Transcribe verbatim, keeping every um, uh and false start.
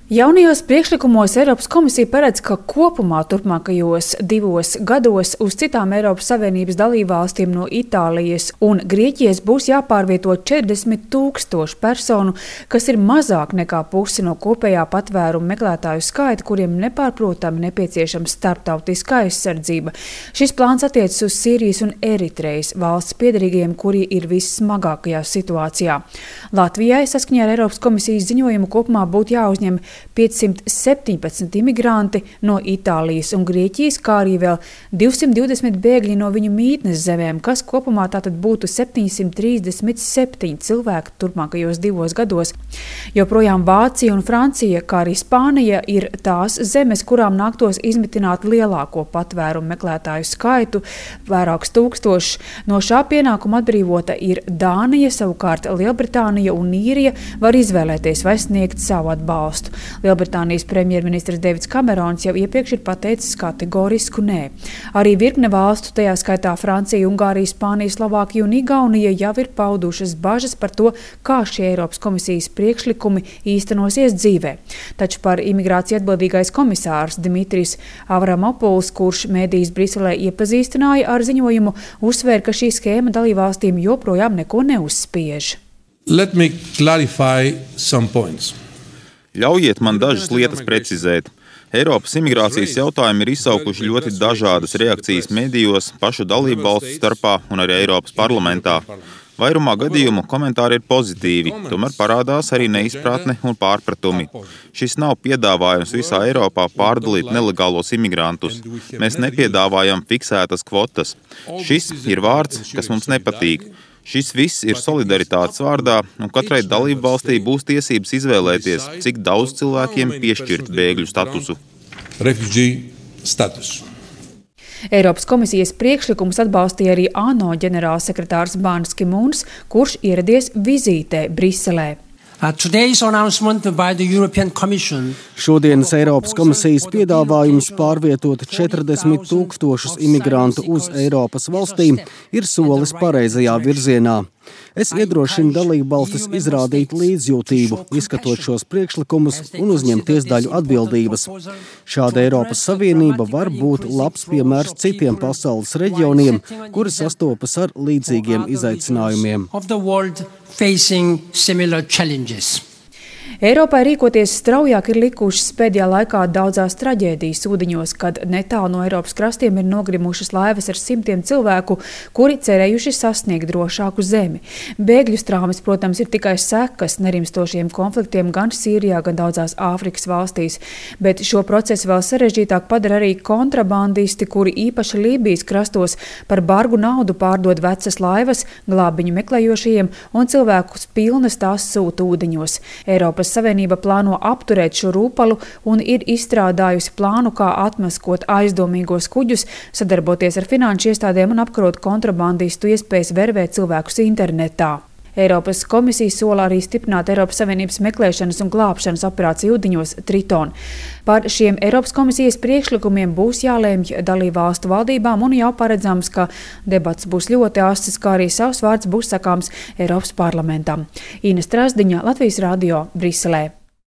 Jaunajos priekšlikumos Eiropas komisija paredz, ka kopumā turpmākajos divos gados uz citām Eiropas Savienības dalībvalstīm no Itālijas un Grieķijas būs jāpārvieto četrdesmit tūkstoši personu, kas ir mazāk nekā pusi no kopējā patvērumu meklētāju skaita, kuriem nepārprotami nepieciešama starptautiska aizsardzība. Šis plāns attiecas uz Sīrijas un Eritrejas valsts piedarīgajiem, kuri ir vissmagākajā situācijā. Latvijai saskaņā ar Eiropas komisijas ziņojumu kopumā būtu jāuzņem piecsimt septiņpadsmit imigranti no Itālijas un Grieķijas, kā arī vēl divsimt divdesmit bēgļi no viņu mītnes zemēm, kas kopumā tātad būtu septiņsimt trīsdesmit septiņi cilvēki turpmākajos divos gados. Joprojām Vācija un Francija, kā arī Spānija, ir tās zemes, kurām nāktos izmitināt lielāko patvērumu meklētāju skaitu, vairākus tūkstošus. No šā pienākuma atbrīvota ir Dānija, savukārt Lielbritānija un Īrija var izvēlēties vai sniegt savu atbalstu. Lielbritānijas premjerministrs Deivids Kamerons jau iepriekš ir pateicis kategorisku nē. Arī virkne valstu, tajā skaitā Francija, Ungārija, Spānija, Slovākija un Igaunija jau ir paudušas bažas par to, kā šie Eiropas komisijas priekšlikumi īstenosies dzīvē. Taču par imigrāciju atbildīgais komisārs Dimitris Avramopuls, kurš mēdījus Briselē iepazīstināja ar ziņojumu, uzsvēra, ka šī skēma dalībvalstīm joprojām neko neuzspiež. Let me clarify some points. Ļaujiet man dažas lietas precizēt. Eiropas imigrācijas jautājumi ir izsaukuši ļoti dažādas reakcijas medijos, pašu dalību valstu starpā un arī Eiropas parlamentā. Vairumā gadījumu komentāri ir pozitīvi, tomēr parādās arī neizpratne un pārpratumi. Šis nav piedāvājums visā Eiropā pārdalīt nelegālos imigrantus. Mēs nepiedāvājam fiksētas kvotas. Šis ir vārds, kas mums nepatīk. Šis viss ir solidaritātes vārdā, un katrai dalību valstī būs tiesības izvēlēties, cik daudz cilvēkiem piešķirt bēgļu statusu. Eiropas komisijas priekšlikumus atbalstīja arī ANO ģenerālsekretārs Bans Ki-mūns, kurš ieradies vizītē Briselē. Šodienas Eiropas komisijas piedāvājums pārvietot četrdesmit tūkstošus imigrantu uz Eiropas valstīm ir solis pareizajā virzienā. Es iedrošinu dalībvalstis izrādīt līdzjūtību, izskatot šos priekšlikumus un uzņemties daļu atbildības. Šāda Eiropas Savienība var būt labs piemērs citiem pasaules reģioniem, kuri sastopas ar līdzīgiem izaicinājumiem. Eiropai rīkoties straujāk ir likušas pēdējā laikā daudzās traģēdijas ūdeņos, kad netālu no Eiropas krastiem ir nogrimušas laivas ar simtiem cilvēku, kuri cerējuši sasniegt drošāku zemi. Bēgļu strāmes, protams, ir tikai sekas nerimstošiem konfliktiem gan Sīrijā, gan daudzās Āfrikas valstīs, bet šo procesu vēl sarežģītāk padara arī kontrabandisti, kuri īpaši Lībijas krastos par bargu naudu pārdod vecas laivas glābiņu meklējošajiem un cilvēkus pilnas tās sūta ūdeņos. Eiropas Savienība plāno apturēt šo rūpalu un ir izstrādājusi plānu, kā atmaskot aizdomīgos kuģus, sadarboties ar finanšu iestādēm un apkarot kontrabandistu iespējas vervēt cilvēkus internetā. Eiropas komisija sola arī stiprināt Eiropas Savienības meklēšanas un glābšanas operāciju ūdeņos Triton. Par šiem Eiropas komisijas priekšlikumiem būs jālēmj dalībvalstu valdībām un jau paredzams, ka debats būs ļoti asas, kā arī savs vārds būs sakāms Eiropas parlamentam. Ina Strasdiņa, Latvijas radio, Briselē.